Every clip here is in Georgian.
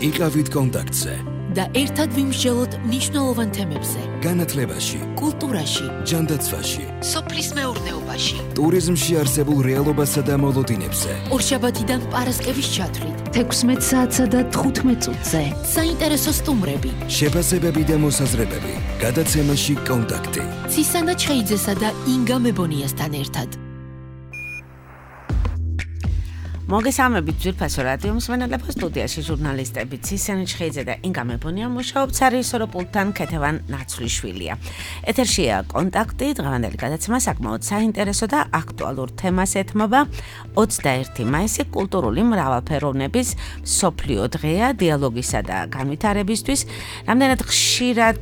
იყავით კონტაქტზე და ერთად ვიმსჯელოთ მნიშვნელოვან თემებზე. განათლებაში, კულტურაში, ჯანდაცვაში, სოფლის მეურნეობაში, ტურიზმში არსებულ რეალობასა და მოლოდინებზე. ორშაბათიდან პარასკევის ჩათვლით, 16 საათსა და 15 წუთზე. საინტერესო სტუმრები, შეფასებები და მოსაზრებები. გადაცემაში კონტაქტი. ცისანა ჩხეიძესა და ინგა მებონიასთან ერთად. მოგესალმებით ძვირფასო რადიო მსმენელებო, სტუდიაში ჟურნალისტები ცისანა ჩხეიძე და ინგა მებონია მუშაობთ სარიესო პულტთან ქეთევან ნაცვლიშვილია. ეთერშია კონტაქტი, დღევანდელი გადაცემა საკმაოდ საინტერესო და აქტუალურ თემას ეთმობა. 21 მაისი კულტურული მრავალფეროვნების მსოფლიო დღეა დიალოგისა და განვითარებისთვის. რამდენად ხშირად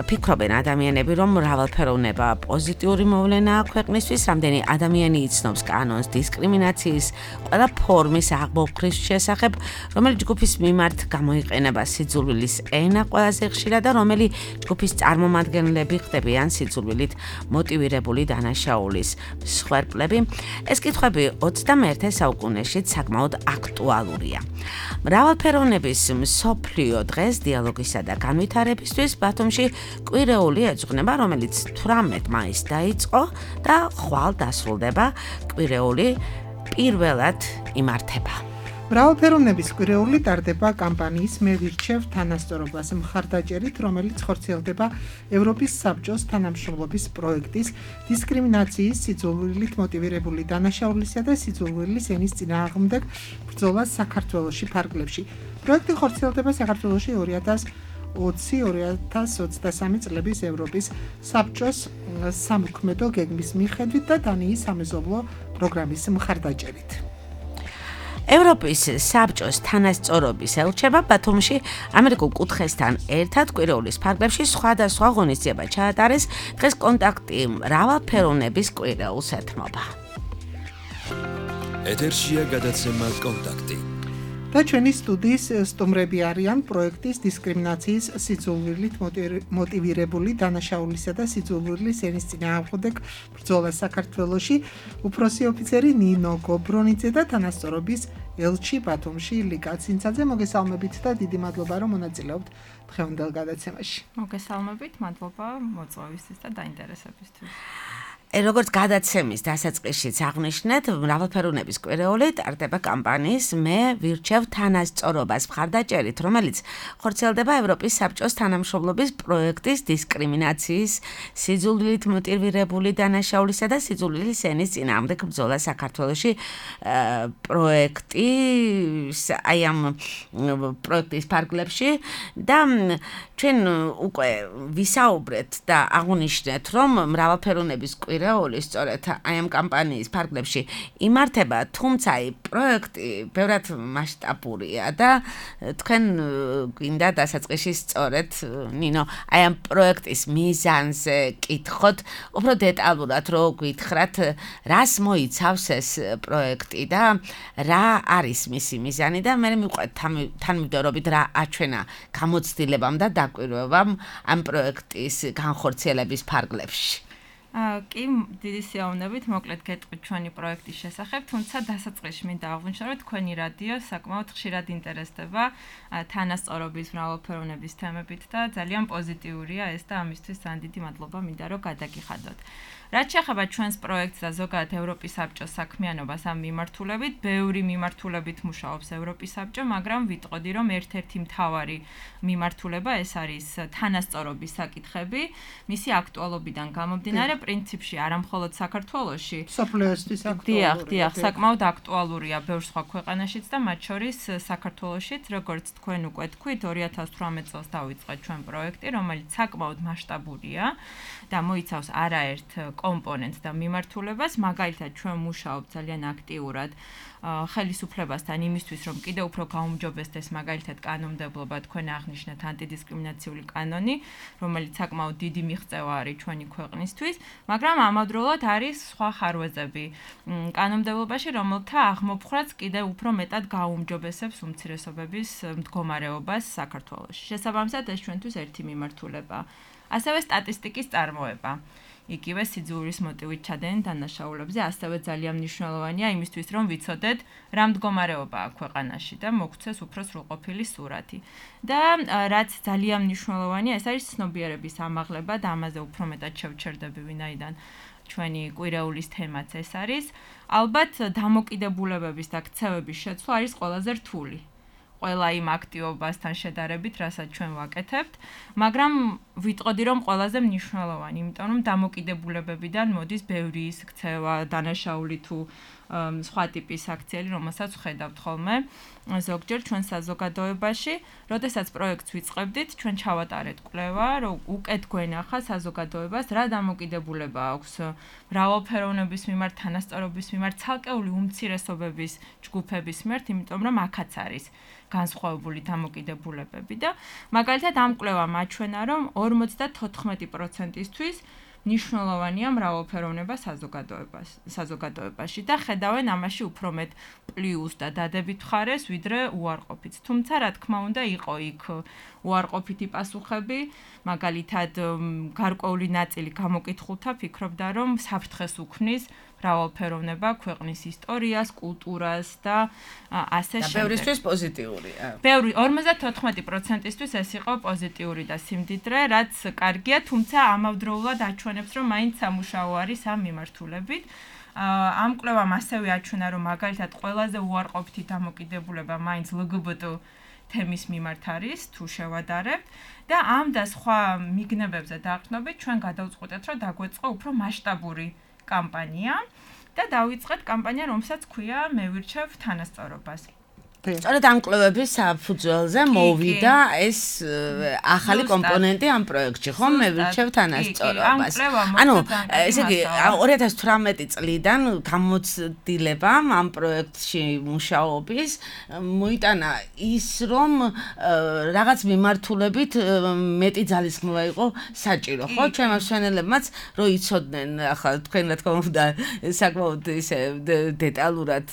ფიქრობენ ადამიანები, რომ მრავალფეროვნება პოზიტიური მოვლენაა ქვეყნისთვის, რამდენი ადამიანი იცნობს კანონს დისკრიმინაციის ყველა ფორმის აღმოფხრის შესახებ, რომელი ჯგუფის მიმართ გამოიყენება სიძულვილის ენა ყველაზე ხშირად და რომელი ჯგუფის წარმომადგენლები ხდებიან სიძულვილით მოტივირებული დანაშაულის მსხვერპლები. ეს კითხვები 21 საუკუნეში საკმაოდ აქტუალურია. მრავალფეროვნების მსოფლიო დღეს დიალოგისა და განვითარებისთვის ბათუმში კვირეული ეძღვნება, რომელიც 18 მაისს დაიწყო და ხვალ დასრულდება. კვირეული პირველად იმართება. მრავალფეროვნების კვირეული ტარდება კამპანიის მე ვირჩევ თანასწორობას მხარდაჭერით, რომელიც ხორციელდება ევროპის საბჭოს თანამშრომლობის პროექტის დისკრიმინაციის, სიძულვილით მოტივირებული დანაშაულისა და სიძულვილის ენის წინააღმდეგ ბრძოლას საქართველოში ფარგლებში. პროექტი ხორციელდება საქართველოში 2020-2023 წლების ევროპის საბჭოს სამოქმედო გეგმის მიხედვით და დანიის სამეზობლო პროგრამის მხარდაჭერით. ევროპის საბჭოს თანასწორობის ელჩება ბათუმში ამერიკულ კუთხესთან ერთად კვირეულის ფარგლებში სხვადასხვა ღონისძიება ჩაატარეს. დღეს კონტაქტი მრავალფეროვნების კვირეულს ეთმობა. ეთერშია გადაცემა კონტაქტი. და ჩვენი სტუდიის სტუმრები არიან პროექტის დისკრიმინაციის, სიძულვილით მოტივირებული დანაშაულისა და სიძულვილის ენის წინააღმდეგ ბრძოლა საქართველოში უფროსი ოფიცერი ნინო გობრონიძე და თანასწორობის ელჩი ბათუმში ლიკა ცინცაძე. მოგესალმებით და დიდი მადლობა, რომ მონაწილეობთ დღევანდელ გადაცემაში. მოგესალმებით, მადლობა მოწვევისთვის და დაინტერესებისთვის. როგორც გადაცემის დასაწყისშიც აღნიშნეთ, მრავალფეროვნების კვირეული ტარდება კამპანიის მე ვირჩევ თანასწორობას მხარდაჭერით, რომელიც ხორციელდება ევროპის საბჭოს თანამშრომლობის პროექტის დისკრიმინაციის, სიძულვილით მოტივირებული დანაშაულისა და სიძულვილის ენის წინააღმდეგ ბრძოლა საქართველოში პროექტის ფარგლებში და ჩვენ უკვე ვისაუბრეთ და აღვნიშნეთ, რომ მრავალფეროვნების კვირეული სწორედ აი ამ კამპანიის ფარგლებში იმართება, თუმცა პროექტი ბევრად მასშტაბურია და თქვენ გვინდა დასაწყისში სწორედ ნინო აი ამ პროექტის მიზანზე კითხოთ, უფრო დეტალურად რო გითხრათ, რას მოიცავს ეს პროექტი და რა არის მისი მიზანი და მე მიყვეთ თანმიმდევრობით რა აჩვენა გამოცდილებამ და დაკვირვებამ ამ პროექტის განხორციელების ფარგლებში. კი, დიდი სიამოვნებით მოკლედ გეტყვით ჩვენი პროექტის შესახებ, თუმცა დასაწყისში მინდა აღვნიშნო, რომ თქვენი რადიო საკმაოდ ხშირად ინტერესდება თანასწორობის მრავალფეროვნების თემებით და ძალიან პოზიტიურია ეს და ამისთვის ძალიან დიდი მადლობა მინდა რომ გადაგიხადოთ. რაც შეეხება ჩვენს პროექტს და ზოგადად ევროპის საბჭოს საქმიანობას ამ მიმართულებით, ბევრი მიმართულებით მუშაობს ევროპის საბჭო, მაგრამ ვიტყოდი, რომ ერთ-ერთი მთავარი მიმართულება ეს არის თანასწორობის საკითხები, მისი აქტუალობიდან გამომდინარე, პრინციპში არა მხოლოდ საქართველოში, სოფლიოსთვის აქტუალურია. დიახ, საკმაოდ აქტუალურია ბევრ სხვა ქვეყანაშიც და მათ შორის საქართველოშიც, როგორც თქვენ უკვე თქვით, 2018 წელს დავიწყეთ ჩვენ პროექტი, რომელიც საკმაოდ მასშტაბურია და მოიცავს არაერთ კომპონენტს და მიმართულებას, მაგალითად ჩვენ მუშაობთ ძალიან აქტიურად ხელისუფლებასთან იმისთვის, რომ კიდევ უფრო გაუმჯობესდეს მაგალითად კანონმდებლობა, თქვენ აღნიშნეთ ანტიდისკრიმინაციული კანონი, რომელიც საკმაოდ დიდი მიღწევა არის ჩვენი ქვეყნისთვის, მაგრამ ამავდროულად არის სხვა ხარვეზები კანონმდებლობაში, რომელთა აღმოფხვრაც კიდევ უფრო მეტად გაუმჯობესებს უმცირესობების მდგომარეობას საქართველოში. შესაბამისად, ეს ჩვენთვის ერთი მიმართულება. ასევე სტატისტიკის წარმოება. იგივე სიძულვილის მოტივით ჩადენენ დანაშაულებზე, ასევე ძალიან მნიშვნელოვანია იმისთვის, რომ ვიცოდეთ, რა მდგომარეობაა ქვეყანაში და მოგვცეს უფრო სრულყოფილი სურათი. და რაც ძალიან მნიშვნელოვანია, ეს არის ცნობიერების ამაღლება და ამაზე უფრო მეტად შევჩერდები, ვინაიდან ჩვენი კვირეულის თემაც ეს არის. ალბათ დამოკიდებულებების და ქცევების შეცვლა არის ყველაზე რთული. ყველა იმ აქტივობასთან შედარებით, რასაც ჩვენ ვაკეთებთ, მაგრამ ვიტყოდი, რომ ყველაზე მნიშვნელოვანი, იმიტომ რომ დამოკიდებულებებიდან მოდის ბევრი ის ქცევა, დანაშაული თუ სხვა ტიპის აქციელი, რომელსაც ვხედავთ ხოლმე ზოგჯერ ჩვენ საზოგადოებაში, როდესაც პროექტს ვიწყებდით, ჩვენ ჩავატარეთ კვლევა, რომ უკეთ გვენახა საზოგადოებას რა დამოკიდებულება აქვს მრავალფეროვნების მიმართ, თანასწორობის მიმართ, ცალკეული უმცირესობების ჯგუფების მიმართ, იმიტომ რომ აქაც არის განსხვავებული დამოკიდებულებები და მაგალითად ამ კვლევამ აჩვენა, რომ 54%-ისთვის მნიშვნელოვანია მრავალფეროვნება საზოგადოებაში და ხედავენ ამაში უფრო მეტ პლუს და დადებით მხარეს, ვიდრე უარყოფით. თუმცა, რა თქმა უნდა, იყო იქ უარყოფითი პასუხები, მაგალითად, გარკვეული ნაწილი გამოკითხულთა ფიქრობდა, რომ საფრთხეს უქმნის მრავალფეროვნება ქვეყნის ისტორიას, კულტურას და ასე შემდეგ. და ბევრისთვის პოზიტიურია. 54%-ისთვის ეს იყო პოზიტიური და სიმდიდრე, რაც კარგია, თუმცა ამავდროულად აჩვენებს, რომ მაინც სამუშაო არის ამ მიმართულებით. ამ კვლევამ ასევე აჩვენა, რომ მაგალითად ყველაზე უარყოფითი დამოკიდებულება მაინც LGBT თემის მიმართ არის, თუ შევადარებთ და ამ და სხვა მიგნებებზე დაყრდნობით ჩვენ გადავწყვეტეთ, რომ დაგვეწყო უფრო მასშტაბური კამპანია და დავიწყეთ კამპანია, რომელსაც ქვია მე ვირჩევ თანასწორობას. სწორედ ამ კვლევების საფუძველზე მოვიდა ეს ახალი კომპონენტი ამ პროექტში, ხო? მე ვირჩევ თანასწორობას. ანუ ესე იგი 2018 წლიდან გამოცდილებამ ამ პროექტში მუშაობის მოიტანა ის, რომ რაღაც მიმართულებით მეტი ძალისხმევა იყო საჭირო, ხო? ჩვენ მსმენელებმაც რო იცოდნენ, ახლა თქვენ რა თქმა უნდა საკმაოდ ისე დეტალურად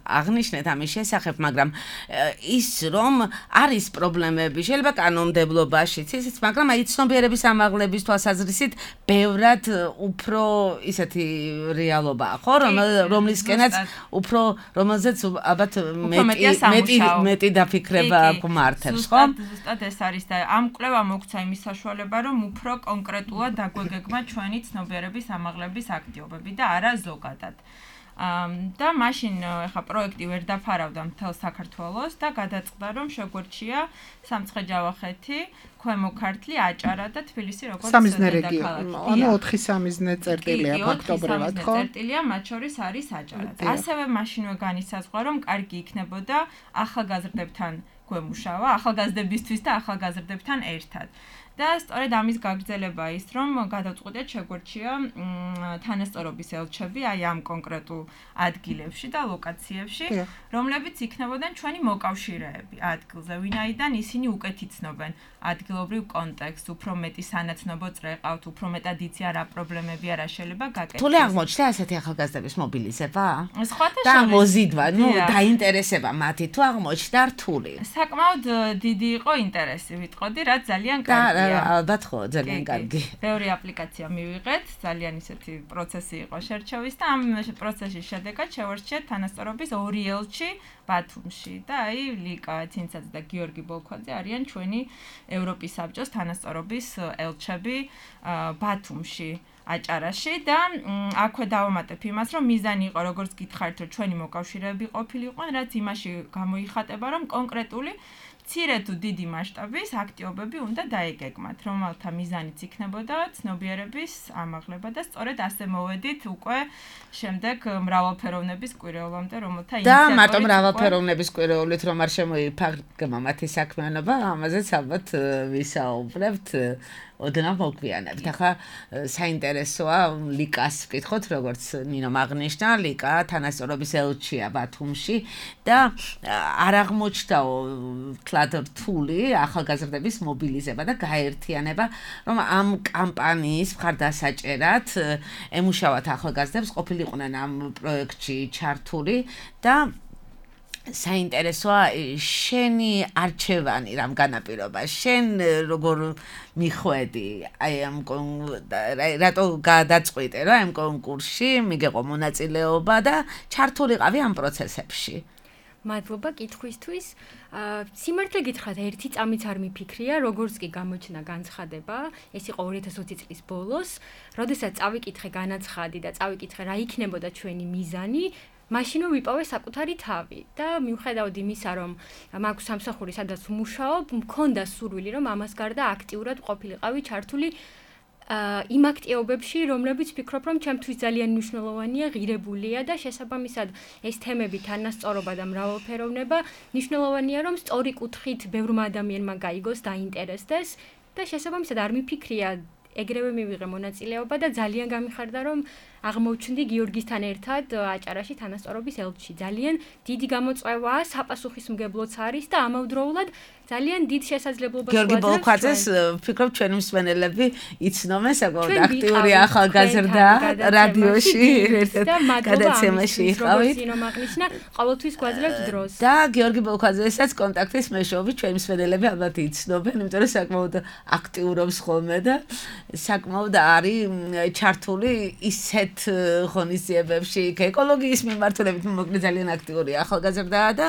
აღნიშნეთ ამის შესახებ, მაგრამ ის რომ არის პრობლემები შეიძლება კანონმდებლობაშიც ისიც, მაგრამ აი ცნობიერების ამაღლების თვალსაზრისით ბევრად უფრო ისეთი რეალობაა, ხო, რომლისკენაც უფრო რომელზეც ალბათ მეტი დაფიქრება გვმართებს, ხო? ზუსტად ეს არის და ამ კვლევა მოგცა იმის საშუალება, რომ უფრო კონკრეტულად დაგვეგეგმა ჩვენი ცნობიერების ამაღლების აქტივობები და არა ზოგადად. და მაშინ ეხა პროექტი ვერ დაფარავდა მთელ საქართველოს და გადაწყდა, რომ შეგვერჩია სამცხე-ჯავახეთი, ქვემო ქართლი, აჭარა და თბილისი როგორც სამიზნე რეგიონი. ანუ 4 სამიზნე წერტილია ფაქტობრივად, ხო? წერტილია, მათ შორის არის აჭარაც. ასევე მაშინვე განისაზღვრა, რომ კარგი იქნებოდა ახალგაზრდებთან გვემუშავა, ახალგაზრდებისთვის და ახალგაზრდებთან ერთად. და სწორედ ამის გაგრძელება ის, რომ გადავწყვეტეთ შეგვერჩია თანასწორობის ელჩები აი ამ კონკრეტულ ადგილებში და ლოკაციებში, რომლებიც იქნებოდნენ ჩვენი მოკავშირეები ადგილზე, ვინაიდან ისინი უკეთ იცნობენ ადგილობრივ კონტექსტს, უფრო მეტი სანაცნობო წრეყავთ, უფრო მეტად იციან რა პრობლემებია, რა შეიძლება გაკეთდეს. რთული აღმოჩნდა ასეთი ახალგაზრდების მობილიზება? სხვათა და მოზიდვა, დაინტერესება მათი თუ აღმოჩნდა რთული? საკმაოდ დიდი იყო ინტერესი, ვიტყოდი, რაც ძალიან კარგია. ალბათ ხო, ძალიან კარგი. ბევრი აპლიკაცია მივიღეთ, ძალიან ისეთი პროცესი იყო შერჩევის და ამ პროცესის შედეგად შევარჩიეთ თანასწორობის 2 ელჩი ბათუმში და აი ლიკა ცინცაძე და გიორგი ბოლქვაძე არიან ჩვენი ევროპის საბჭოს თანასწორობის ელჩები ბათუმში. აჭარაში და აქვე დავამატებ იმას, რომ მიზანი იყო, როგორც გითხარით, რომ ჩვენი მოკავშირეები ყოფილიყვნენ, რაც იმაში გამოიხატება, რომ კონკრეტული მცირე თუ დიდი მასშტაბის აქტივობები უნდა დაეგეგმათ, რომელთა მიზანიც იქნებოდა ცნობიერების ამაღლება და სწორედ ასე მოვედით უკვე შემდეგ მრავალფეროვნების კვირეულამდე, რომელთა ინიციატორი და მარტო მრავალფეროვნების კვირეულით რომ არ შემოიფარგლება მათი საქმიანობა, ამაზეც ალბათ ვისაუბრებთ. ოდნავ მოგვიანებთ. ახლა საინტერესოა ლიკას ვკითხოთ, როგორც ნინომ აღნიშნა, ლიკა თანასწორობის ელჩია ბათუმში და არ აღმოჩნდაო თლად რთული ახალგაზრდების მობილიზება და გაერთიანება, რომ ამ კამპანიის მხარდასაჭერად ემუშავათ ახალგაზრდებს, ყოფილიყვნენ ამ პროექტში ჩართული და საინტერესოა შენი არჩევანი რამ განაპირობა შენ როგორ მიხვედი აი ამ რატო გადაწყვიტე რა ამ კონკურსში მიგეყო მონაწილეობა და ჩართულიყავი ამ პროცესებში მადლობა კითხვისთვის. სიმართლე გითხრათ, ერთი წამიც არ მიფიქრია, როგორც კი გამოჩნდა განცხადება, ეს იყო 2020 წლის ბოლოს, როდესაც წავიკითხე განაცხადი და წავიკითხე რა იქნებოდა ჩვენი მიზანი, მაშინ ვიპოვე საკუთარი თავი და მიუხედავად იმისა, რომ მაქვს სამსახური, სადაც ვმუშაობ, მქონდა სურვილი, რომ ამას გარდა აქტიურად ყოფილიყავი ჩართული იმ აქტივობებში, რომლებიც ვფიქრობ, რომ ჩემთვის ძალიან მნიშვნელოვანია, ღირებულია და შესაბამისად ეს თემები თანასწორობა და მრავალფეროვნება მნიშვნელოვანია, რომ სწორი კუთხით ბევრმა ადამიანმა გაიგოს, დაინტერესდეს და შესაბამისად არ მიფიქრია ეგრევე მივიღე მონაწილეობა და ძალიან გამიხარდა, რომ აღმოჩნდი გიორგისთან ერთად აჭარაში თანასწორობის ელჩი. ძალიან დიდი გამოწვევაა, საპასუხისმგებლოც არის და ამავდროულად ძალიან დიდ შესაძლებლობას გვაძლევს. გიორგი ბოლქვაძეს ვფიქრობ ჩვენი მსმენელები იცნობენ საკმაოდ აქტიური ახალგაზრდა რადიოში გადაცემაში იყავით. სინომაღნიშნა ყოველთვის გვაძლევთ დროს. და გიორგი ბოლქვაძესაც კონტაქტის მეშვეობით ჩვენი მსმენელები ალბათ იცნობენ, იმიტომ რომ საკმაოდ აქტიურობს ხოლმე და საკმაოდ არის ჩართული ისეთ ღონისძიებებში, ეკოლოგიის მიმართულებით მოკლედ ძალიან აქტიური ახალგაზრდაა და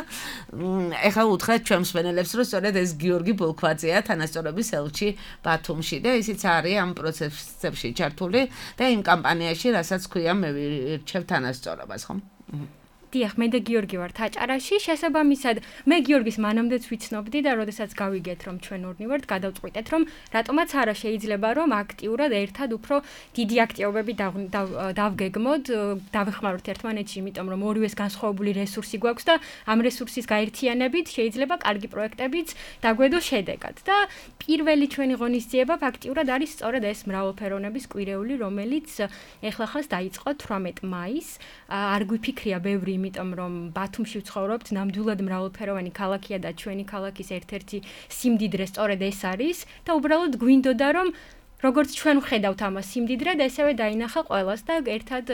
ეხლა უთხრეთ ჩვენ მსმენელებს, რომ სწორედ ეს გიორგი ბოლქვაძეა თანასწორობის ელჩი ბათუმში და ისიც არის ამ პროცესებში ჩართული და იმ კამპანიაში, რასაც ქვია მე ვირჩევ თანასწორობას, ხო? დიახ, მე და გიორგი ვართ აჭარაში, შესაბამისად, მე გიორგის მანამდეც ვიცნობდი და როდესაც გავიგეთ, რომ ჩვენ ორნი ვართ, გადავწყვიტეთ, რომ რატომაც არა შეიძლება, რომ აქტიურად ერთად უფრო დიდი აქტივობები დავგეგმოთ, დავეხმაროთ ერთმანეთში, იმიტომ რომ ორივეს განსხვავებული რესურსი გვაქვს და ამ რესურსის გაერთიანებით შეიძლება კარგი პროექტებიც დაგვედოს შედეგად. და პირველი ჩვენი ღონისძიება ფაქტიურად არის სწორედ ეს მრავალფეროვნების კვირეული, რომელიც ეხლახანს დაიწყო 18 მაისს. არ გვიფიქრია ბევრი იმიტომ რომ ბათუმში ვცხოვრობთ, ნამდვილად მრავალფეროვანი ქალაქია და ჩვენი ქალაქის ერთ-ერთი სიმდიდრე სწორედ ეს არის და უბრალოდ გვინდოდა რომ როგორც ჩვენ ვხედავთ ამას სიმდიდრედ, ესევე დაინახა ყველას და ერთად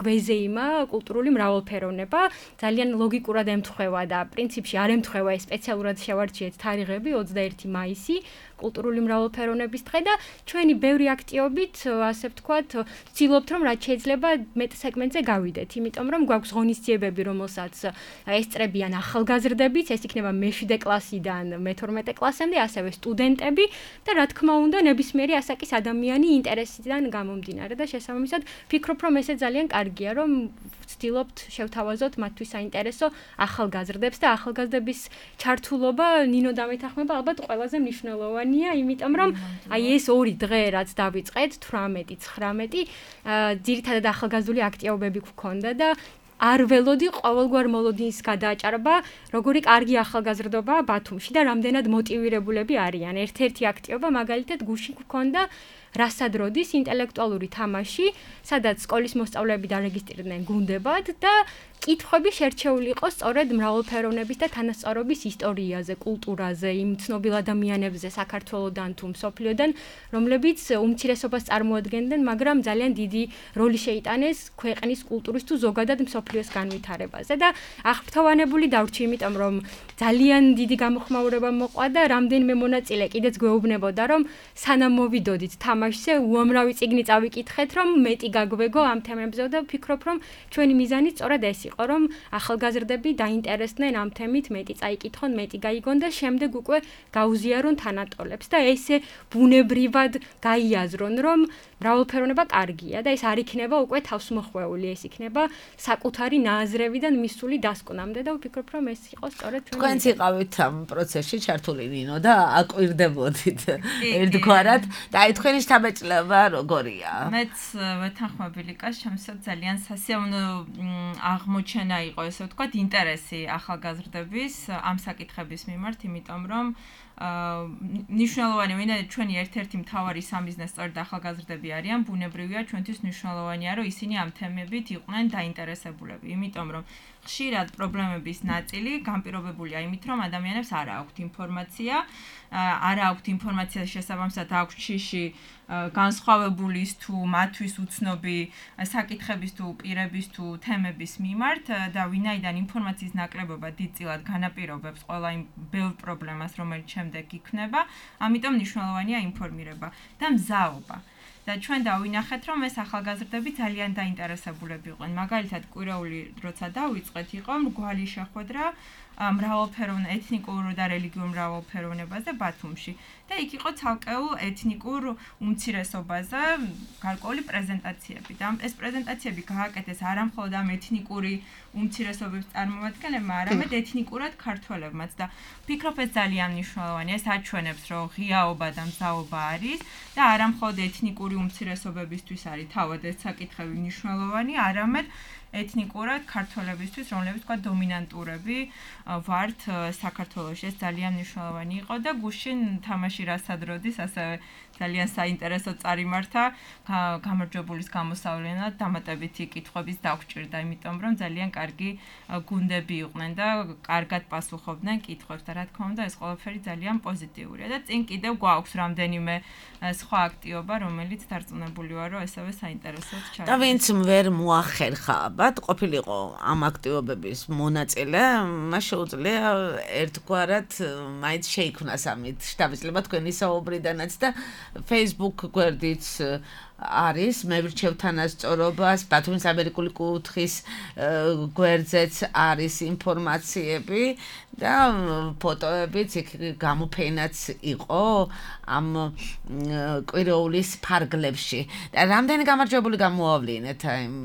გვეზეიმა კულტურული მრავალფეროვნება. ძალიან ლოგიკურად ემთხვევა და პრინციპში არ ემთხვევა ეს სპეციალურად შევარჩიეთ თარიღები 21 მაისი. კულტურული მრავალფეროვნების დღე და ჩვენი ბევრი აქტივობით, ასე ვთქვათ, ვცდილობთ რომ რაც შეიძლება მეტ სეგმენტზე გავიდეთ, იმიტომ რომ გვაქვს ღონისძიებები, რომელსაც ესწრებიან ახალგაზრდებიც, ეს იქნება მე-7 კლასიდან მე-12 კლასამდე, ასევე სტუდენტები და რა თქმა უნდა, ნებისმიერი ასაკის ადამიანი ინტერესიდან გამომდინარე და შესაბამისად ვფიქრობ, რომ ესე ძალიან კარგია, რომ ვცდილობთ შევთავაზოთ მათთვის საინტერესო ახალგაზრდებს და ახალგაზრდების ჩართულობა ნინო დამეთანხმება ალბათ ყველაზე მნიშვნელოვანია, იმიტომ რომ აი ეს ორი დღე რაც დავიწყეთ 18-19 ძირითადად ახალგაზრდული აქტივობები გვქონდა და არ ველოდი ყოველგვარ მოლოდინის გადააჭარბა, როგორი კარგი ახალგაზრდობაა ბათუმში და რამდენად მოტივირებულები არიან. ერთ-ერთი აქტივობა მაგალითად გუშინ გვქონდა რასადროდის ინტელექტუალური თამაში, სადაც სკოლის მოსწავლეები დარეგისტრირდნენ გუნდებად და კითხვები შერჩეული იყო სწორედ მრავალფეროვნების და თანასწორობის ისტორიაზე, კულტურაზე, იმ ცნობილ ადამიანებზე საქართველოდან თუ მსოფლიოდან, რომლებიც უმცირესობას წარმოადგენდნენ, მაგრამ ძალიან დიდი როლი შეიტანეს ქვეყნის კულტურის თუ ზოგადად მსოფლიოს განვითარებაზე და აღფრთოვანებული დავრჩი, იმიტომ რომ ძალიან დიდი გამოხმაურება მოყვა და რამდენიმე მონაწილე კიდეც გვეუბნებოდა, რომ სანამ მოვიდოდით თამაშზე, უამრავი წიგნი წავიკითხეთ, რომ მეტი გაგვეგო ამ თემებზე და ვფიქრობ, რომ ჩვენი მიზანი სწორედ ეს იყო, რომ ახალგაზრდები დაინტერესდნენ ამ თემით, მეტი წაიკითხონ, მეტი გაიგონ და შემდეგ უკვე გაუზიარონ თანატოლებს და ესე ბუნებრივად გაიაზრონ, რომ მრავალფეროვნება კარგია და ეს არ იქნება უკვე თავსმოხვეული, ეს იქნება საკუთარი ნააზრევიდან მისული დასკვნამდე და ვფიქრობ, რომ ეს იყო სწორედ ჩვენი. თქვენც იყავით ამ პროცესში ჩართული ნინო და აკვირდებოდით ერთგვარად და აი თქვენი შთაბეჭდილება როგორია? მეც ვეთანხმები ლიკას, შემოსად ძალიან სასიამოვნო აღმოჩენა იყო, ესე ვთქვათ, ინტერესი ახალგაზრდების ამ საკითხების მიმართ, იმიტომ რომ ნიშნულოვანია, ვინაიდან ჩვენი ერთ-ერთი მთავარი სამიზნე სწორედ ახალგაზრდები არიან, ბუნებრივია ჩვენთვის მნიშვნელოვანია, რომ ისინი ამ თემებით იყვნენ დაინტერესებულები, იმიტომ რომ ხშირად პრობლემების ნაწილი განპირობებულია იმით, რომ ადამიანებს არ აქვთ ინფორმაცია შესაბამისად აქვს შიში განსხვავებულის თუ მათთვის უცნობი საკითხების თუ პირების თუ თემების მიმართ და ვინაიდან ინფორმაციის ნაკლებობა დიდწილად განაპირობებს ყველა იმ ბევრ პრობლემას, რომელიც შემდეგ იქნება, ამიტომ მნიშვნელოვანია ინფორმირება და მზაობა. და ჩვენ დავინახეთ, რომ ეს ახალგაზრდები ძალიან დაინტერესებულები იყვნენ. მაგალითად, კვირაული როცა დავიწყეთ, იყო მრგვალი შეხვედრა მრავალფეროვან ეთნიკურ და რელიგიურ მრავალფეროვნებაზე ბათუმში. და იქ იყო ცალკეულ ეთნიკურ უმცირესობაზე გარკვეული პრეზენტაციები. და ეს პრეზენტაციები გააკეთეს არა მხოლოდ ამ ეთნიკური უმცირესობების წარმომადგენლებმა, არამედ ეთნიკურად ქართველებმაც და ვფიქრობ ეს ძალიან მნიშვნელოვანია. ეს აჩვენებს, რომ ღიაობა და მზაობა არის და არა მხოლოდ ეთნიკური უმცირესობებისთვის არის თავად ეს საკითხები მნიშვნელოვანი, არამედ ეთნიკურად ქართველებისთვის, რომლებიც თქვა დომინანტურები ვართ საქართველოში. ეს ძალიან მნიშვნელოვანი იყო და გუშინ თამაში რასადროდის ასევე ძალიან საინტერესო წარიმართა გამარჯვებულის გამოსავლენად დამატებითი კითხვების დაგვჭირდა, იმიტომ რომ ძალიან კარგი გუნდები იყვნენ და კარგად პასუხობდნენ კითხვებს და რა თქმა უნდა ეს ყველაფერი ძალიან პოზიტიურია და წინ კიდევ გვაქვს რამდენიმე სხვა აქტივობა, რომელიც დარწმუნებული ვარ, რომ ესევე საინტერესოდ ჩაიდგა. და ვინც ვერ მოახერხა ალბათ ყოფილიყო ამ აქტივობების მონაწილე, მას შეუძლია ერთგვარად მაინც შეიქმნას ამით შთაბეჭდილება თქვენი საუბრიდანაც და Facebook გვერდიც არის მე ვრჩევ თანასწორობას ბათუმის ამერიკული კუთხის გვერდზეც არის ინფორმაციები და ფოტოებიც იქ გამოფენაც იყო ამ კვირაულის ფარგლებში და რამდენი გამარჯვებული გამოავლინეთ იმ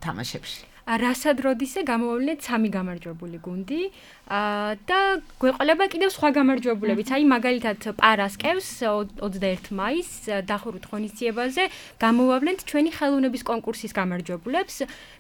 თამაშებში რასადროდისე გამოვავლინეთ 3 გამარჯვებული გუნდი და გვეყოლება კიდევ სხვა გამარჯვებულებიც. აი მაგალითად პარასკევს 21 მაისს დახურვით ღონისძიებაზე გამოვავლენთ ჩვენი ხელოვნების კონკურსის გამარჯვებულებს.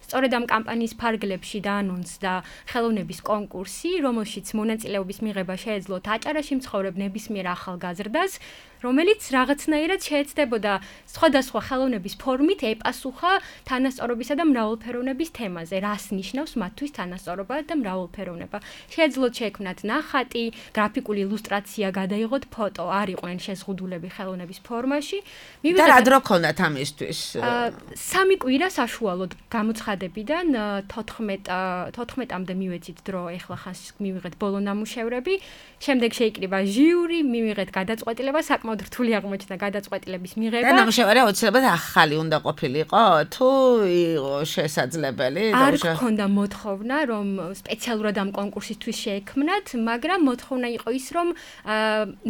სწორედ ამ კამპანიის ფარგლებში დაანონსდა ხელოვნების კონკურსი, რომელშიც მონაწილეობის მიღება შეეძლოთ აჭარაში მცხოვრებ ნებისმიერ ახალგაზრდას, რომელიც რაღაცნაირად შეეცდებოდა სხვადასხვა ხელოვნების ფორმით ეპასუხა თანასწორობისა და მრავალფეროვნების თემაზე, რას ნიშნავს მათთვის თანასწორობა და მრავალფეროვნება. შეეძლოთ შეექმნათ ნახატი, გრაფიკული ილუსტრაცია, გადაიღოთ ფოტო, არ იყვნენ შეზღუდულები ხელოვნების ფორმაში. და რა დრო ქონდათ ამისთვის? 3 კვირა საშუალოდ გამოცხადებიდან 14-მდე მივეცით დრო, ეხლა ხანს მივიღეთ ბოლო ნამუშევრები, შემდეგ შეიკრიბა ჟიური, მივიღეთ გადაწყვეტილება, საკმაოდ რთული აღმოჩნდა გადაწყვეტილების მიღება. და ნამუშევარი აუცილებლად ახალი უნდა ყოფილიყო, თუ იყო შესაძლებელი? არ გქონდა მოთხოვნა, რომ სპეციალურად ამ კონკურსისთვის შეექმნათ, მაგრამ მოთხოვნა იყო ის, რომ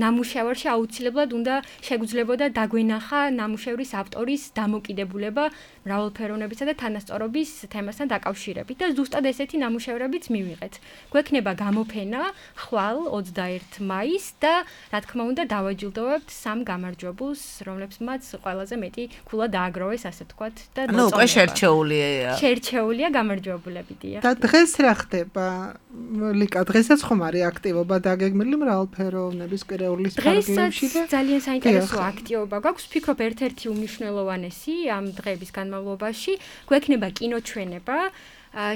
ნამუშევარში აუცილებლად უნდა შეგვძლებოდა დაგვენახა ნამუშევრის ავტორის დამოკიდებულება მრავალფეროვნებისა და თანასწორობის თემასთან დაკავშირებით და ზუსტად ესეთი ნამუშევრებიც მივიღეთ. გვექნება გამოფენა ხვალ 21 მაისს და რა თქმა უნდა დავაჯილდოვებთ 3 გამარჯვებულს, რომლებსაც ყველაზე მეტი ქულა დააგროვეს, ასე ვთქვათ და ნუ უკვე შერჩეულია გამარჯვებულებია. და დღეს რა ხდება? ლიკა, დღესაც ხომ არის აქტივობა დაგეგმილი მრავალფეროვნების კვირაულის ფარგლებში და ძალიან საინტერესო აქტივობა გვაქვს. ვფიქრობ ერთ-ერთი უმნიშვნელოვანესი ამ დღეების განმავლობაში გვექნება კინოჩვენება.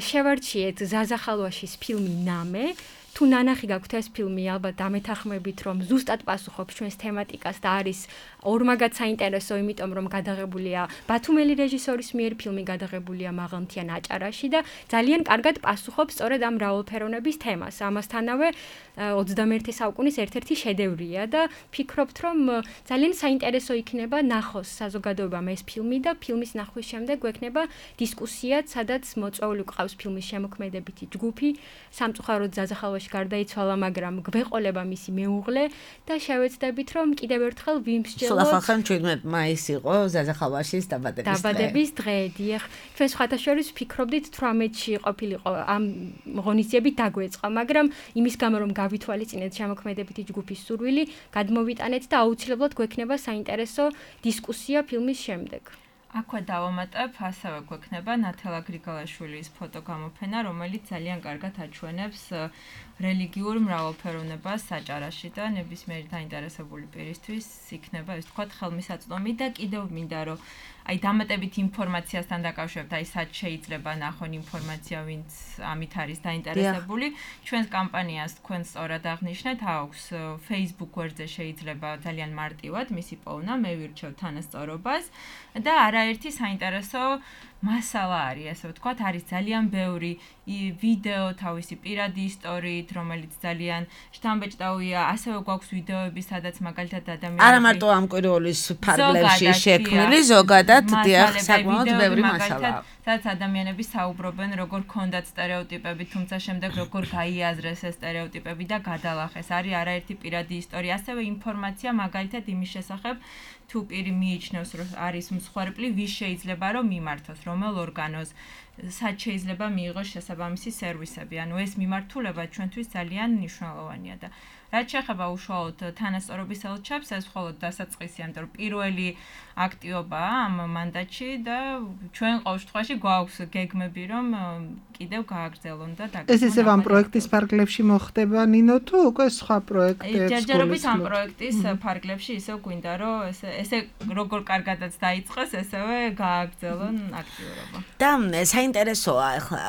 შევარჩიეთ ზაზა ხალვაშის ფილმი ნამე. თუ ნანახი გაქვთ ეს ფილმი, ალბათ დამეთანხმებით, რომ ზუსტად პასუხობს ჩვენს თემატიკას და არის ორმაგად საინტერესო, იმიტომ რომ გადაღებულია ბათუმელი რეჟისორის მიერ, ფილმი გადაღებულია მაღალმთიან აჭარაში და ძალიან კარგად პასუხობს სწორედ ამ მრავალფეროვნების თემას. ამასთანავე 21 საუკუნის ერთ-ერთი შედევრია და ფიქრობთ, რომ ძალიან საინტერესო იქნება ნახოს საზოგადოებამ ეს ფილმი და ფილმის ნახვის შემდეგ გვექნება დისკუსიაც, სადაც მოწვეული ყავს ფილმის შემოქმედებითი ჯგუფი, სამწუხაროდ ზაზა ხალვაში გარდაიცვალა, მაგრამ გვეყოლება მისი მეუღლე და შევეცდებით, რომ კიდევ ერთხელ ვიმსჯელოთ. სულ ახალ 17 მაისი იყო ზაზა ხალვაშის დაბადების დღე. დიახ, ჩვენ სხვათა შორის ვფიქრობდით 18-ში ყოფილიყო ამ ღონისძიებით დაგვეწყა, მაგრამ იმის გამო რომ გავითვალისწინეთ შემოქმედებითი ჯგუფის სურვილი, გადმოვიტანეთ და აუცილებლად გვექნება საინტერესო დისკუსია ფილმის შემდეგ. აქვე დავამატებ, ასევე გვექნება ნათელა გრიგალაშვილის ფოტოგამოფენა, რომელიც ძალიან კარგად აჩვენებს რელიგიურ მრავალფეროვნებას საჭარაში და ნებისმიერი დაინტერესებული პირისთვის იქნება, ეს თქვათ, ხელმისაწვდომი და კიდევ მინდა რომ აი დამატებით ინფორმაციასთან დაკავშირებით, აი სად შეიძლება ნახონ ინფორმაცია, ვინც ამით არის დაინტერესებული. ჩვენს კამპანიას თქვენ სწორად აღნიშნეთ, აქვს Facebook გვერდზე შეიძლება ძალიან მარტივად მისი პოვნა, მე ვირჩევ თანასწორობას და არაერთი საინტერესო მასალა არის, ასე ვთქვათ, არის ძალიან ბევრი ვიდეო თავისი პირადი ისტორიით, რომელიც ძალიან შთამბეჭდავია, ასევე გვაქვს ვიდეოები, სადაც მაგალითად ადამიანები არა მარტო ამ კვირეულის ფარგლებში შექმნილი, ზოგადად დიახ, საკმაოდ ბევრი მასალაა. სადაც ადამიანები საუბრობენ, როგორ ქონდათ სტერეოტიპები, თუმცა შემდეგ როგორ გაიაზრეს ეს სტერეოტიპები და გადალახეს. არის არაერთი პირადი ისტორია, ასევე ინფორმაცია მაგალითად იმის შესახებ, თუ პირი მიიჩნევს, რომ არის მსხვერპლი, ვის შეიძლება რომ მიმართოს, რომელ ორგანოს, სად შეიძლება მიიღოს შესაბამისი სერვისები. ანუ ეს მიმართულება ჩვენთვის ძალიან მნიშვნელოვანია და რაც შეეხება უშუალოდ თანასწორობის ელჩებს, ეს მხოლოდ დასაწყისია, იმიტომ რომ პირველი აქტიობაა ამ მანდატში და ჩვენ ყოველ შემთხვევაში გვაქვს გეგმები, რომ კიდევ გააგრძელონ და ეს ისევ ამ პროექტის ფარგლებში მოხდება ნინო თუ უკვე სხვა პროექტებს? ჯერჯერობით ამ პროექტის ფარგლებში ისევ გვინდა რომ ესე როგორ კარგადაც დაიწყეს, ესევე გააგრძელონ აქტიურობა. და საინტერესოა ახლა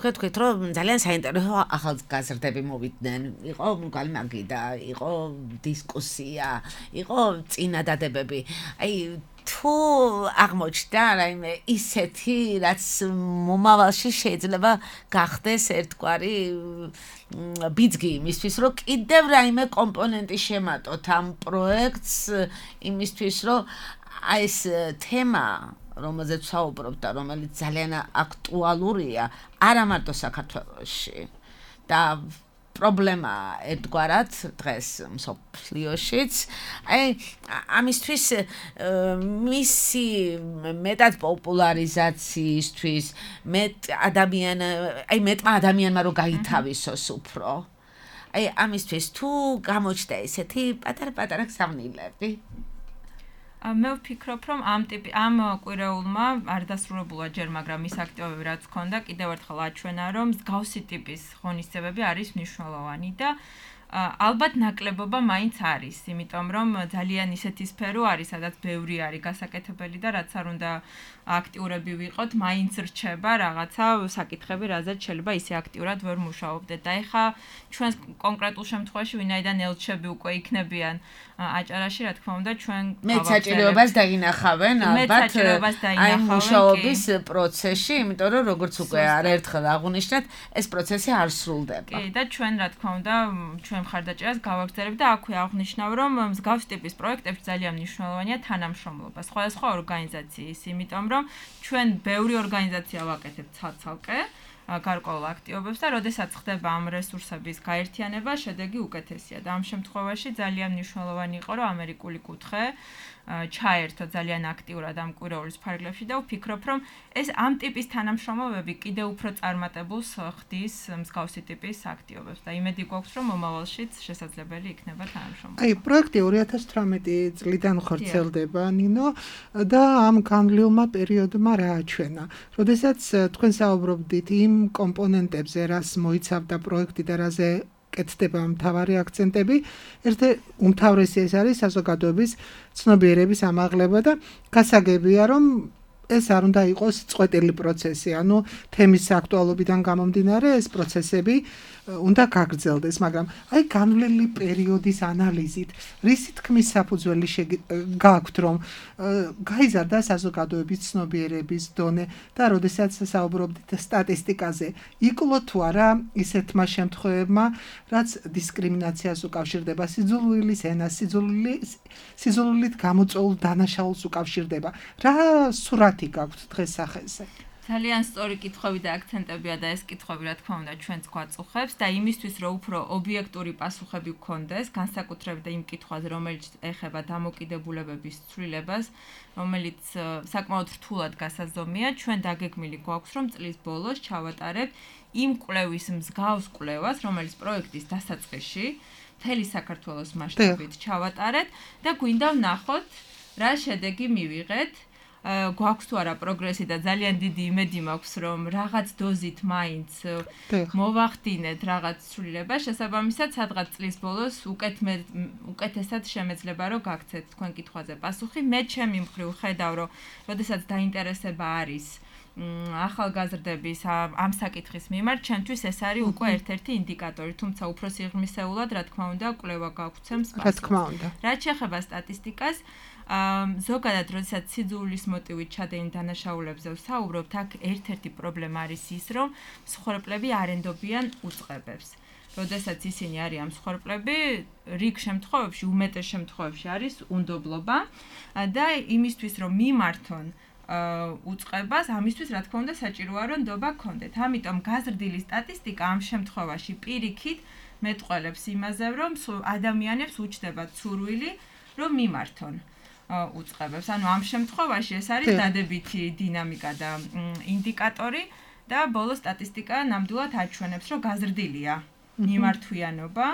თქვით რომ ძალიან საინტერესო ახალგაზრდები მოვიდნენ. იყო გალმაგი და იყო დისკუსია, იყო წინადადებები. აი თუ აღმოჩნდა რაიმე ისეთი, რაც მომავალში შეიძლება გახდეს ერთგვარი ბიძგი იმისთვის, რომ კიდევ რაიმე კომპონენტი შემატოთ ამ პროექტს იმისთვის, რომ აი ეს თემა რომელზეც საუბრობთ და რომელიც ძალიან აქტუალურია არა მარტო საქართველოში და პრობლემა ერთგვარად დღეს მსოფლიოშიც. აი ამისთვის მისი მეტად პოპულარიზაციისთვის მეტმა ადამიანმა რომ გაითავისოს უფრო. აი ამისთვის თუ გამოჩნდა ესეთი პატარ-პატარა გზავნილები. მე ვფიქრობ, რომ ამ კვირეულმა არ დასრულებულა ჯერ, მაგრამ ის აქტივობები რაც ჰქონდა, კიდევ ერთხელ აჩვენა, რომ მსგავსი ტიპის ღონისძიებები არის მნიშვნელოვანი და ალბათ ნაკლებობა მაინც არის, იმიტომ რომ ძალიან ისეთი სფერო არის, სადაც ბევრი არის გასაკეთებელი და რაც არ უნდა აქტიურები ვიყოთ, მაინც რჩება რაღაცა საკითხები, რაზეც შეიძლება ისე აქტიურად ვერ მუშაობდეთ. და ეხა ჩვენ კონკრეტულ შემთხვევაში ვინაიდან ელჩები უკვე იქნებიან აჭარაში, რა თქმა უნდა, ჩვენ მეც საჭიროებას დაინახავენ ალბათ აი მუშაობის პროცესში, იმიტომ რომ როგორც უკვე არაერთხელ აღვნიშნეთ, ეს პროცესი არ სრულდება. კი, და ჩვენ რა თქმა უნდა, ჩვენ მხარდაჭერას გავაგრძელებთ და აქვე აღვნიშნავ, რომ მსგავს ტიპის პროექტებში ძალიან მნიშვნელოვანია თანამშრომლობა სხვადასხვა ორგანიზაციის, იმიტომ რომ ჩვენ ბევრი ორგანიზაცია ვაკეთებთ ცალკე გარკვეულ აქტივობებს და როდესაც ხდება ამ რესურსების გაერთიანება, შედეგი უკეთესია და ამ შემთხვევაში ძალიან მნიშვნელოვანი იყო, რომ ამერიკული კუთხე ჩაერთო ძალიან აქტიურად ამ კვირეულის ფარგლებში და ვფიქრობ, რომ ეს ამ ტიპის თანამშრომლობები კიდევ უფრო წარმატებულს ხდის მსგავსი ტიპის აქტივობებს და იმედი გვაქვს, რომ მომავალშიც შესაძლებელი იქნება თანამშრომლობა. აი, პროექტი 2018 წლიდან ხორციელდება, ნინო, და ამ განვლილმა პერიოდმა რა აჩვენა? როდესაც თქვენ საუბრობდით იმ კომპონენტებზე, რას მოიცავდა პროექტი და რაზე კეთდება მთავარი აქცენტები, უმთავრესი ეს არის საზოგადოების ცნობიერების ამაღლება და გასაგებია, რომ ეს არ უნდა იყოს წყვეტილი პროცესი, ანუ თემის აქტუალობიდან გამომდინარე ეს პროცესები უნდა გაგრძელდეს, მაგრამ აი განვლილი პერიოდის ანალიზით, რისი თქმის საფუძველი გააქვთ, რომ გაიზარდა საზოგადოების ცნობიერების დონე და როდესაც საუბრობდით სტატისტიკაზე, იკლო თუ არა ისეთმა შემთხვევებმა, რაც დისკრიმინაციას უკავშირდება, სიძულვილის ენას, სიძულვილით გამოწვეულ დანაშაულს უკავშირდება. რა სურათი გაქვთ დღეს სახეზე? ძალიან სწორი კითხვები და აქცენტებია და ეს კითხვები რა თქმა უნდა ჩვენც გვაწუხებს და იმისთვის რომ უფრო ობიექტური პასუხები გქონდეს, განსაკუთრებით იმ კითხვაზე, რომელიც ეხება დამოკიდებულებების ცვლილებას, რომელიც საკმაოდ რთულად გასაზომია, ჩვენ დაგეგმილი გვაქვს, რომ წლის ბოლოს ჩავატარებთ იმ კვლევის მსგავს კვლევას, რომელიც პროექტის დასაწყისში მთელი საქართველოს მასშტაბით ჩავატარეთ და გვინდა ვნახოთ, რა შედეგი მივიღეთ. გვაქვს თუ არა პროგრესი და ძალიან დიდი იმედი მაქვს რომ რაღაც დოზით მაინც მოვახდინეთ რაღაც ცვლილება შესაბამისად სადღაც წლის ბოლოს უკეთესად შემეძლება რომ გაგცეთ თქვენ კითხვაზე პასუხი მე ჩემი მხრივ ხედავ რომ როდესაც დაინტერესება არის ახალგაზრდების ამ საკითხის მიმართ ჩემთვის ეს არის უკვე ერთ-ერთი ინდიკატორი თუმცა უფრო სიღრმისეულად რა თქმა უნდა კვლევა გაგვცემს პასუხს რა თქმა უნდა რაც შეეხება სტატისტიკას ზოგადად როდესაც სიძულვილის მოტივით ჩადენილ დანაშაულებზე ვსაუბრობთ აქ ერთ-ერთი პრობლემა არის ის რომ მსხვერპლები არ ენდობიან უწყებებს როდესაც ისინი არიან მსხვერპლები რიგ შემთხვევებში უმეტეს შემთხვევებში არის უნდობლობა და იმისთვის რომ მიმართონ უწყებას ამისთვის რა თქმა უნდა საჭიროა რომ ნდობა გქონდეთ ამიტომ გაზრდილი სტატისტიკა ამ შემთხვევაში პირიქით მეტყველებს იმაზე რომ ადამიანებს უჩნდებათ სურვილი რომ მიმართონ უწყებებს ანუ ამ შემთხვევაში ეს არის დადებითი დინამიკა და ინდიკატორი და ბოლო სტატისტიკა ნამდვილად აჩვენებს რომ გაზრდილია მიმართვიანობა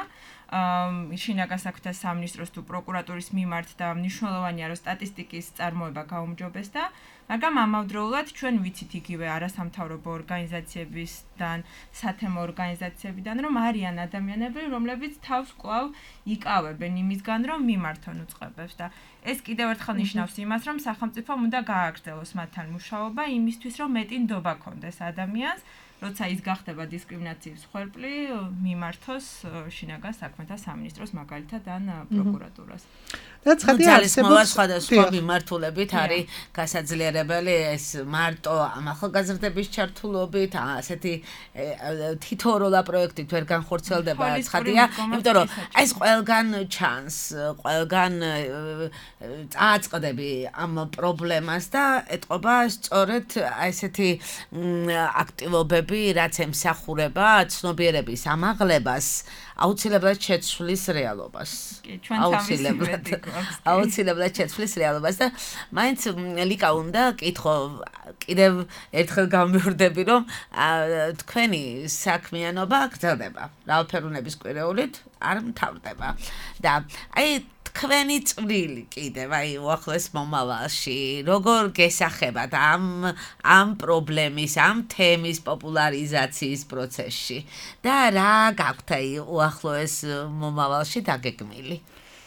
შინაგან საქმეთა სამინისტროს თუ პროკურატურის მიმართ და მნიშვნელოვანია რომ სტატისტიკის წარმოება გაუმჯობესდა მაგრამ ამავდროულად ჩვენ ვიცით იგივე არასამთავრობო ორგანიზაციებისგან სათემო ორგანიზაციებიდან რომ არიან ადამიანები რომლებიც თავს კვლავ იკავებენ იმისგან რომ მიმართონ უწყებებს და ეს კიდევ ერთხელ ნიშნავს იმას რომ სახელმწიფომ უნდა გააგრძელოს მათთან მუშაობა იმისთვის რომ მეტი ნდობა ქონდეს ადამიანს როცა ის გახდება დისკრიმინაციის მსხვერპლი მიმართოს შინაგან საქმეთა სამინისტროს მაგალითად ან პროკურატურას და ცხადია არსებობს სხვადასხვა მიმართულებით არის გასაძლიერებელი ეს მარტო ამ ახალგაზრდების ჩართულობით ასეთი თითოეულა პროექტით ვერ განხორციელდება ცხადია იმიტომ რომ ეს ყველგან ჩანს ყველგან წააწყდები ამ პრობლემას და ეტყობა სწორედ ესეთი აქტივობები რაც ემსახურება ცნობიერების ამაღლებას აუცილებლად შეცვლის რეალობას აუცილებლად შეცვლის რეალობას და მაინც ლიკა უნდა კითხო კიდევ ერთხელ გამბირდები რომ თქვენი საქმიანობა გრძელდება რავალფეროვნების კვირეულით არ მთავრდება და აი თქვენი წვლილი კიდევ აი უახლოეს მომავალში როგორ გესახებათ ამ პრობლემის ამ თემის პოპულარიზაციის პროცესში და რა გაქვთ აი უახლოეს მომავალში დაგეგმილი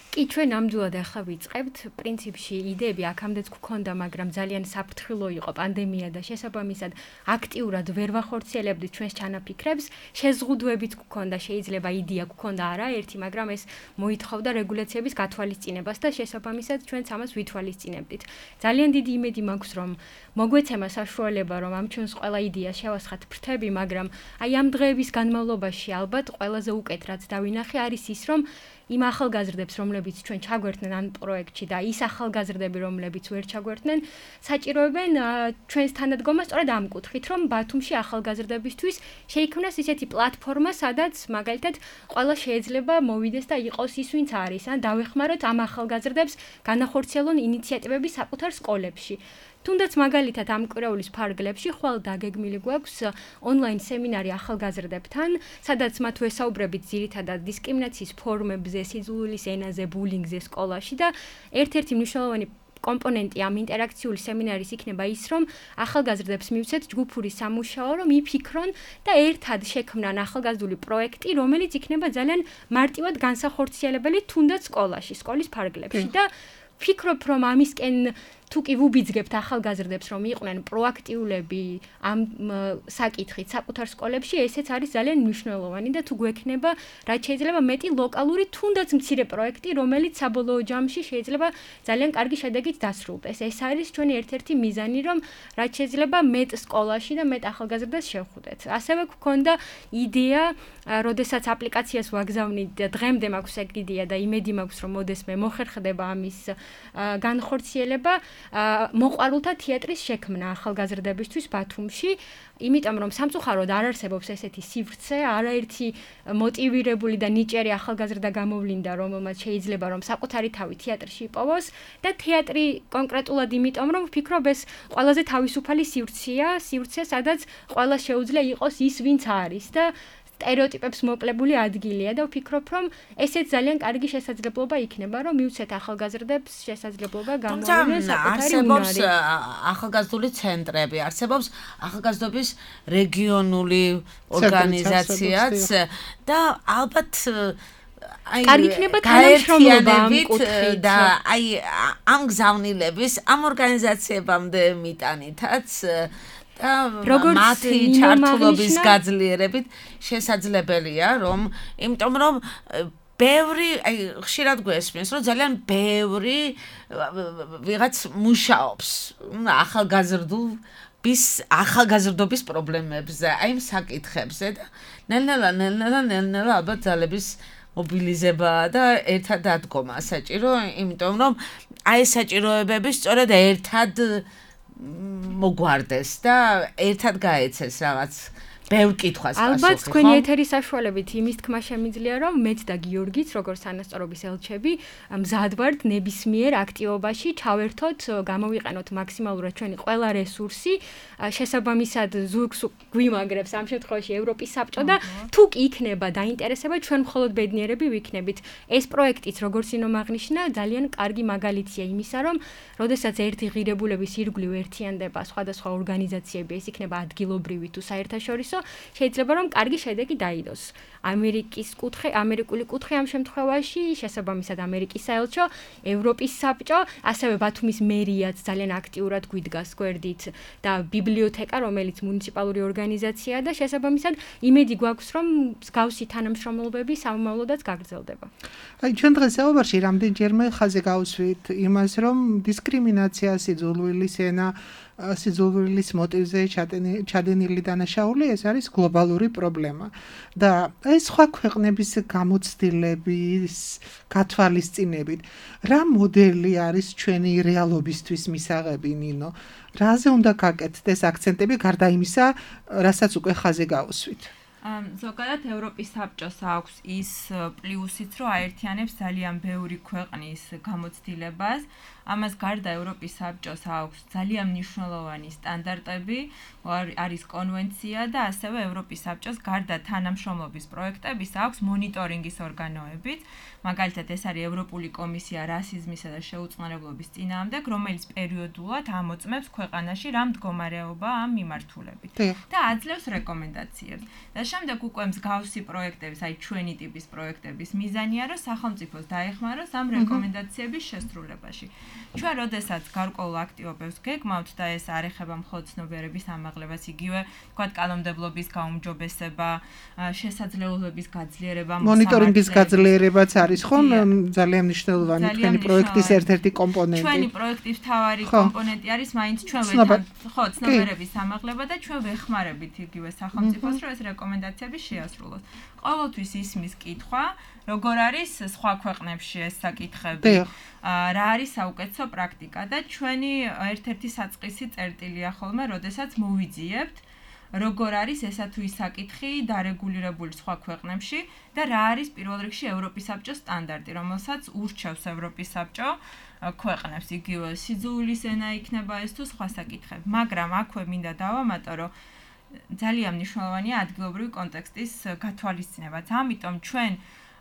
კი ჩვენ ნამდვილად ახლა ვიწყებთ პრინციპში იდეები აქამდეც გქონდა მაგრამ ძალიან საფრთხილო იყო პანდემია და შესაბამისად აქტიურად ვერ ვახორციელებდით ჩვენს ჩანაფიქრებს შეზღუდვებით გქონდა შეიძლება იდეა გქონდა არა ერთი მაგრამ ეს მოითხოვდა რეგულაციების გათვალისწინებას და შესაბამისად ჩვენც ამას ვითვალისწინებდით ძალიან დიდი იმედი მაქვს რომ მოგვეცემა საშუალება რომ ამ ჩვენს ყველა იდეას შევასხათ ფრთები მაგრამ აი ამ დღეების განმავლობაში ალბათ ყველაზე უკეთ რაც დავინახე არის ის რომ იმ ახალგაზრდებს, რომლებიც ჩვენ ჩაგვერთნენ ამ პროექტში და ის ახალგაზრდები, რომლებიც ვერ ჩაგვერთნენ, საჭიროებენ ჩვენს თანადგომას სწორედ ამ კუთხით, რომ ბათუმში ახალგაზრდებისთვის შეიქმნას ისეთი პლატფორმა, სადაც მაგალითად ყველა შეიძლება მოვიდეს და იყოს ის, ვინც არის, ან დავეხმაროთ ამ ახალგაზრდებს განახორციელონ ინიციატივები საკუთარ სკოლებში. თუნდაც მაგალითად ამ კვირეულის ფარგლებში ხვალ დაგეგმილი გვაქვს ონლაინ სემინარი ახალგაზრდებთან, სადაც მათ ვესაუბრებით ძირითადად დისკრიმინაციის ფორმებზე, სიძულვილის ენაზე, ბულინგზე სკოლაში და ერთ-ერთი მნიშვნელოვანი კომპონენტი ამ ინტერაქციული სემინარის იქნება ის, რომ ახალგაზრდებს მივცეთ ჯგუფური სამუშაო, რომ იფიქრონ და ერთად შექმნან ახალგაზრდული პროექტი, რომელიც იქნება ძალიან მარტივად განსახორციელებელი თუნდაც სკოლაში, სკოლის ფარგლებში და ვფიქრობ, რომ ამისკენ თუ კი ვუბიძგებთ ახალგაზრდებს, რომ იყვნენ პროაქტიულები ამ საკითხით საკუთარ სკოლებში, ესეც არის ძალიან მნიშვნელოვანი და თუ გვექნება, რაც შეიძლება მეტი ლოკალური თუნდაც მცირე პროექტი, რომელიც საბოლოო ჯამში შეიძლება ძალიან კარგი შედეგით დასრულდეს. ეს არის ჩვენი ერთ-ერთი მიზანი, რომ რაც შეიძლება მეტ სკოლაში და მეტ ახალგაზრდას შევხვდეთ. ასევე გვქონდა იდეა, როდესაც აპლიკაციას ვაგზავნით, დღემდე მაქვს ეგ იდეა და იმედი მაქვს, რომ მოდესმე მოხერხდება ამის განხორციელება. მოყვარულთა თეატრის შექმნა ახალგაზრდებისთვის ბათუმში, იმიტომ რომ სამწუხაროდ არ არსებობს ესეთი სივრცე, არაერთი მოტივირებული და ნიჭიერი ახალგაზრდა გამოვლინდა, რომელმაც შეიძლება რომ საკუთარი თავი თეატრში იპოვოს და თეატრი კონკრეტულად იმიტომ რომ ვფიქრობ ეს ყველაზე თავისუფალი სივრცეა, სადაც ყველა შეუძლია იყოს ის, ვინც არის და სტერეოტიპებს მოკლებული ადგილია და ვფიქრობ, რომ ესეც ძალიან კარგი შესაძლებლობა იქნება, რომ მივცეთ ახალგაზრდებს შესაძლებლობა გამოავლინონ საკუთარი უნარი. ახალგაზრდული ცენტრები, არსებობს ახალგაზრდობის რეგიონული ორგანიზაციაც და ალბათ კარგი იქნება თანამშრომლობა ამ კუთხით და ამ გზავნილების ამ ორგანიზაციებამდე მიტანითაც და მათი ჩართულობის გაძლიერებით შესაძლებელია, რომ იმიტომ რომ ბევრი, ხშირად გვესმის, რომ ძალიან ბევრი ვიღაც მუშაობს ახალგაზრდობის პრობლემებზე, აი იმ საკითხებზე და ნელ-ნელა ალბათ ძალების მობილიზება და ერთად დადგომა საჭირო, იმიტომ რომ აი საჭიროებები სწორედ ერთად მოგვარდეს და ერთად გაეცეს რაღაც ბევრ კითხვას პასუხი. ალბათ თქვენი ეთერის საშუალებით იმის თქმა შემიძლია, რომ მეც და გიორგიც, როგორც თანასწორობის ელჩები, მზად ვართ ნებისმიერ აქტივობაში ჩავერთოთ, გამოვიყენოთ მაქსიმალურად ჩვენი ყველა რესურსი, შესაბამისად ზურგს გვიმაგრებს ამ შემთხვევაში ევროპის საბჭო და თუ კი იქნება დაინტერესება, ჩვენ მხოლოდ ბედნიერები ვიქნებით. ეს პროექტიც, როგორც ინომ აღნიშნა, ძალიან კარგი მაგალითია იმისა, რომ როდესაც ერთი ღირებულების ირგვლივ ერთიანდება სხვადასხვა ორგანიზაციები, ეს იქნება ადგილობრივი თუ საერთაშორისო, შეიძლება რომ კარგი შედეგი დაიდოს. ამერიკული კუთხე ამ შემთხვევაში, შესაბამისად ამერიკის საელჩო, ევროპის საბჭო, ასევე ბათუმის მერიაც ძალიან აქტიურად გვიდგას გვერდით და ბიბლიოთეკა, რომელიც მუნიციპალური ორგანიზაციაა და შესაბამისად იმედი გვაქვს, რომ მსგავსი თანამშრომლობები სამომავლოდაც გაგრძელდება. აი ჩვენ დღეს საუბარში რამდენჯერმე ხაზზე გავუსვით იმას, რომ დისკრიმინაცია, სიძულვილის ენა, სიძულვილის მოტივზე ჩადენილი დანაშაული ეს არის გლობალური პრობლემა და ეს სხვა ქვეყნების გამოცდილების გათვალისწინებით რა მოდელი არის ჩვენი რეალობისთვის მისაღები ნინო რაზე უნდა გაკეთდეს აქცენტები გარდა იმისა რასაც უკვე ხაზზე გავუსვით ზოგადად ევროპის საბჭოს აქვს ის პლუსიც რომ აერთიანებს ძალიან ბევრი ქვეყნის გამოცდილებას ამას გარდა ევროპის საბჭოს აქვს ძალიან მნიშვნელოვანი სტანდარტები არის კონვენცია და ასევე ევროპის საბჭოს გარდა თანამშრომლობის პროექტების აქვს მონიტორინგის ორგანოებიც მაგალითად ეს არის ევროპული კომისია რასიზმისა და შეუწყნარებლობის წინააღმდეგ რომელიც პერიოდულად ამოწმებს ქვეყანაში რა მდგომარეობაა ამ მიმართულებით და აძლევს რეკომენდაციებს და შემდეგ უკვე მსგავსი პროექტების, აი ჩვენი ტიპის პროექტების მიზანია, რომ სახელმწიფოს დაეხმაროს ამ რეკომენდაციების შესრულებაში. ჩვენ როდესაც გარკვეულ აქტივობებს გეგმავთ და ეს არ ეხება მხოლოდ ცნობიერების ამაღლებას, იგივე თქვათ კანონმდებლობის გაუმჯობესება, შესაძლებლობების გაძლიერება, მონიტორინგის გაძლიერებაც არის ხო ძალიან მნიშვნელოვანი თქვენი პროექტის ერთ-ერთი კომპონენტი. ჩვენი პროექტის მთავარი კომპონენტი არის მაინც ჩვენ ცნობიერების ამაღლება და ჩვენ ვეხმარებით იგივე სახელმწიფოს, რომ ეს რეკომენდაციები შეასრულოს. ყოველთვის ისმის კითხვა, როგორ არის სხვა ქვეყნებში ეს საკითხები, რა არის საუკეთესო პრაქტიკა და ჩვენი ერთ-ერთი საწყისი წერტილია ხოლმე, როდესაც მოვიძიებთ, როგორ არის ესა თუ ის საკითხი დარეგულირებული სხვა ქვეყნებში და რა არის პირველ რიგში ევროპის საბჭოს სტანდარტი, რომელსაც ურჩევს ევროპის საბჭო ქვეყნებს, იგივე სიძულვილის ენა იქნება ეს თუ სხვა საკითხები, მაგრამ აქვე მინდა დავამატო, რომ ძალიან მნიშვნელოვანია ადგილობრივი კონტექსტის გათვალისწინებაც. ამიტომ ჩვენ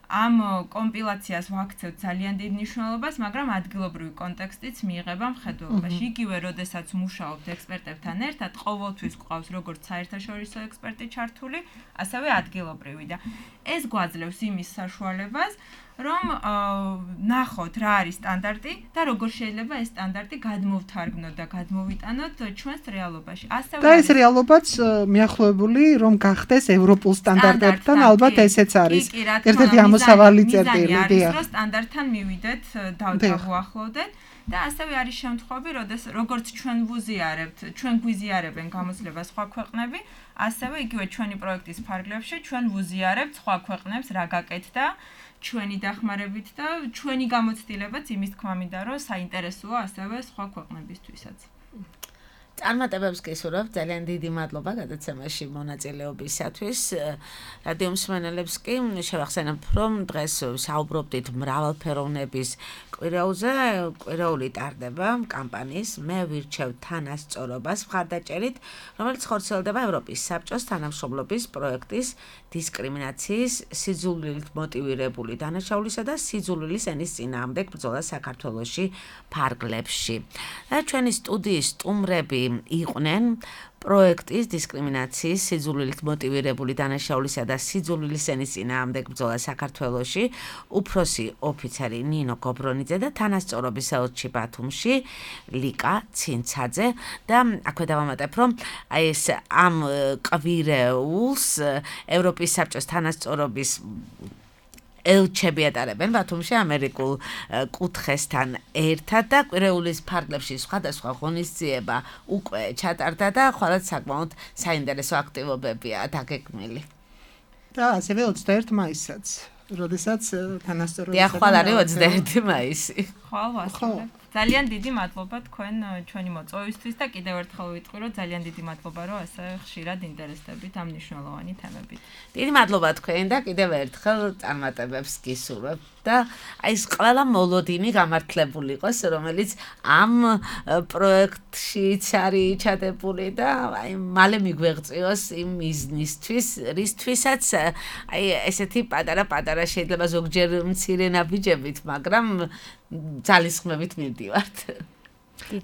ამ კომპილაციას ვაქცევთ ძალიან დიდ მნიშვნელობას, მაგრამ ადგილობრივი კონტექსტიც მიიღება მხედველობაში. იგივე, როდესაც მუშაობთ ექსპერტებთან ერთად, ყოველთვის გვყავს როგორც საერთაშორისო ექსპერტი ჩართული, ასევე ადგილობრივი და ეს გვაძლევს იმის საშუალებას, რომ ნახოთ რა არის სტანდარტი და როგორ შეიძლება ეს სტანდარტი გადმოვთარგმნოთ და გადმოვიტანოთ ჩვენს რეალობაში. ასევე და ეს რეალობაც მიახლოებული რომ გახდეს ევროპულ სტანდარტებთან, ალბათ ესეც არის ერთ-ერთი ამოსავალი წერტილი. რომ სტანდარტთან მივიდეთ, დავუახლოვდეთ და ასევე არის შემთხვევები, როგორც ჩვენ ვუზიარებთ, ჩვენ გვიზიარებენ გამოცდილებას სხვა ქვეყნები, ასევე იგივე ჩვენი პროექტის ფარგლებში ჩვენ ვუზიარებთ სხვა ქვეყნებს რა გაკეთდა ჩვენი დახმარებით და ჩვენი გამოცდილებაც იმის თქმა მინდა რომ საინტერესოა ასევე სხვა ქვეყნებისთვისაც. წარმატებებს გისურვებთ, ძალიან დიდი მადლობა გადაცემაში მონაწილეობისათვის. რადიო მსმენელებს კი შევახსენებთ, რომ დღეს საუბრობდით მრავალფეროვნების კვირაოზე. კვირაული ტარდება კამპანიის მე ვირჩევ თანასწორობას მხარდაჭერით, რომელიც ხორციელდება ევროპის საბჭოს თანამშრომლობის პროექტის დისკრიმინაციის, სიძულვილით მოტივირებული დანაშაულისა და სიძულვილის ენის წინააღმდეგ ბრძოლა საქართველოში ფარგლებში. და ჩვენი სტუდიის სტუმრები იყვნენ პროექტის დისკრიმინაციის, სიძულვილით მოტივირებული დანაშაულისა და სიძულვილის ენის წინააღმდეგ ბრძოლა საქართველოში უფროსი ოფიცერი ნინო გობრონიძე და თანასწორობის ელჩი ბათუმში ლიკა ცინცაძე და აქვე დავამატებ, რომ აი ეს ამ კვირეულს ევროპის საბჭოს თანასწორობის ელჩები ატარებენ ბათუმში ამერიკულ კუთხესთან ერთად და კვირეულის ფარგლებში სხვადასხვა ღონისძიება უკვე ჩატარდა და ხვალად საკმაოდ საინტერესო აქტივობებია დაგეგმილი. და ასევე 21 მაისსაც, როდესაც თანასწორობის ხვალ არის 21 მაისი. ხვალ ვასწავლებ. ძალიან დიდი მადლობა თქვენ ჩვენი მოწვევისთვის და კიდევ ერთხელ ვიტყვი, რომ ძალიან დიდი მადლობა, რომ ასე ხშირად ინტერესდებით ამ მნიშვნელოვანი თემებით. დიდი მადლობა თქვენ და კიდევ ერთხელ წარმატებებს გისურვებთ და აი ეს ყველა მოლოდინი გამართლებული იყოს, რომელიც ამ პროექტშიც არის ჩადებული და აი მალე მიგვეღწიოს იმ მიზნისთვის, რისთვისაც აი ესეთი პატარა შეიძლება ზოგჯერ მცირე ნაბიჯებით, მაგრამ ძალისხმევით მივდივართ.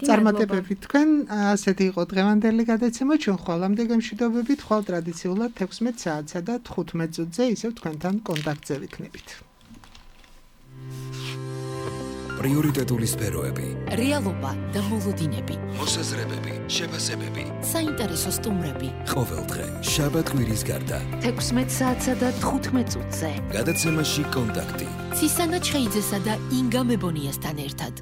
წარმატებები თქვენ, ასეთი იყო დღევანდელი გადაცემა, ჩვენ ხვალამდე გემშვიდობებით, ხვალ ტრადიციულად 16 საათსა და 15 წუთზე ისევ თქვენთან კონტაქტზე ვიქნებით. პრიორიტეტული სფეროები, რეალობა და მოლოდინები, მოსაზრებები, შეფასებები, საინტერესო სტუმრები. ყოველდღე, შაბათ-კვირის გარდა. 16 საათსა და 15 წუთზე. გადაცემაში კონტაქტი. ცისანა ჩხეიძესა და ინგა მებონიასთან ერთად.